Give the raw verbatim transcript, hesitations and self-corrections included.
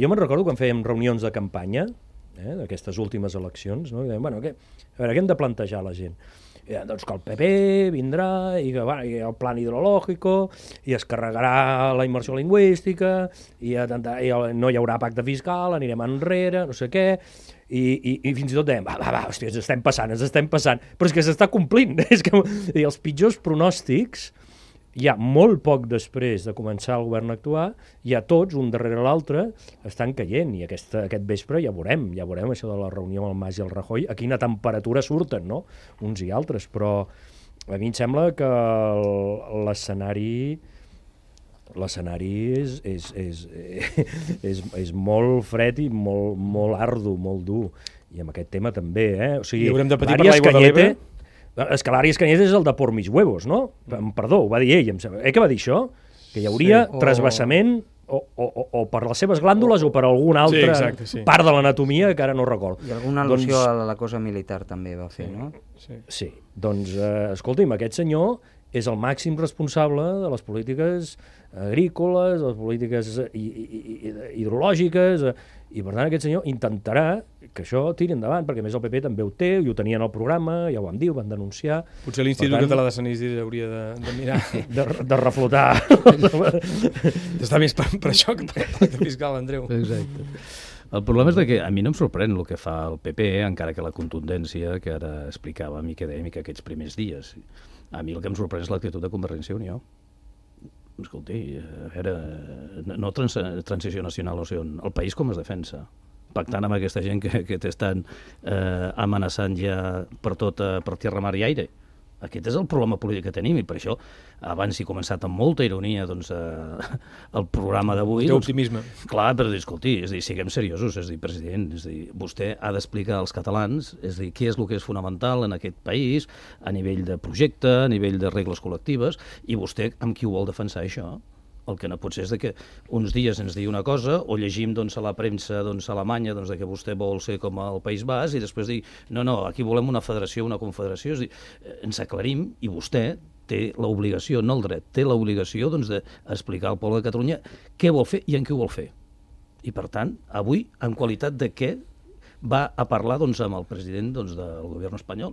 Jo me'n recordo quan fèiem reunions de campanya, eh, d'aquestes últimes eleccions, no? I dèiem, bueno, què, a veure, què hem de plantejar a la gent? I, doncs que el P P vindrà i que va, i el plan hidrològico i es carregarà la immersió lingüística i, a, i no hi haurà pacte fiscal, anirem enrere, no sé què, i, i, i fins i tot dèiem, va, va, va, hòstia, ens estem passant, ens estem passant, però és que s'està complint. És que, i els pitjors pronòstics, ja molt poc després de començar el govern a actuar, ja tots, un darrere l'altre, estan caient, i aquesta, aquest vespre ja veurem, ja veurem això de la reunió amb el Mas i el Rajoy, a quina temperatura surten, no?, uns i altres, però a mi em sembla que l'escenari l'escenari és, és, és, és, és molt fred i molt, molt ardu, molt dur, i amb aquest tema també, eh? O sigui, I haurem de patir per l'aigua de l'Ebre? És que l'Àries Cañete és el de por mis huevos, no? Perdó, ho va dir ell, em sembla. Eh que va dir això? Que hi hauria sí, o... trasbassament o, o, o per les seves glàndules o, o per alguna altra sí, exacte, sí. part de l'anatomia que ara no recordo. I alguna al·lusió doncs... a la cosa militar també va fer, sí, no? Sí, sí. Doncs, eh, escolti'm, aquest senyor és el màxim responsable de les polítiques agrícoles, de les polítiques hidrològiques, i per tant aquest senyor intentarà que això tiri endavant, perquè més el P P també ho té, i ho tenien al programa, ja ho vam dir, ho van denunciar. Potser l'Institut tant, Català de Sanís hauria de, de mirar... De, de reflotar. Està més per, per això que per el pacte fiscal, Andreu. Exacte. El problema és que a mi no em sorprèn el que fa el P P, encara que la contundència que ara explicava Mica Dèmica aquests primers dies. A mi el que em sorprèn és l'actitud de Convergència i Unió. Escolti, a veure, no trans transició nacional, o sigui, el país com es defensa? Pactant amb aquesta gent que, que t'estan eh, amenaçant ja per tot, eh, per tierra, mar i aire. Aquest és el problema polític que tenim, i per això, abans he començat amb molta ironia doncs, eh, el programa d'avui. Té optimisme. Doncs, clar, però escolti, és dir, siguem seriosos, és dir, president, és dir, vostè ha d'explicar als catalans, és dir, què és el que és fonamental en aquest país, a nivell de projecte, a nivell de regles col·lectives, i vostè amb qui ho vol defensar això? El que no pot ser és que uns dies ens digui una cosa o llegim doncs, a la premsa doncs, alemanya doncs, que vostè vol ser com el País Basc i després dir, no, no, aquí volem una federació, una confederació. És dir, ens aclarim i vostè té l'obligació, no el dret, té l'obligació doncs, d'explicar al poble de Catalunya què vol fer i en què ho vol fer. I per tant, avui, en qualitat de què va a parlar doncs, amb el president doncs, del govern espanyol?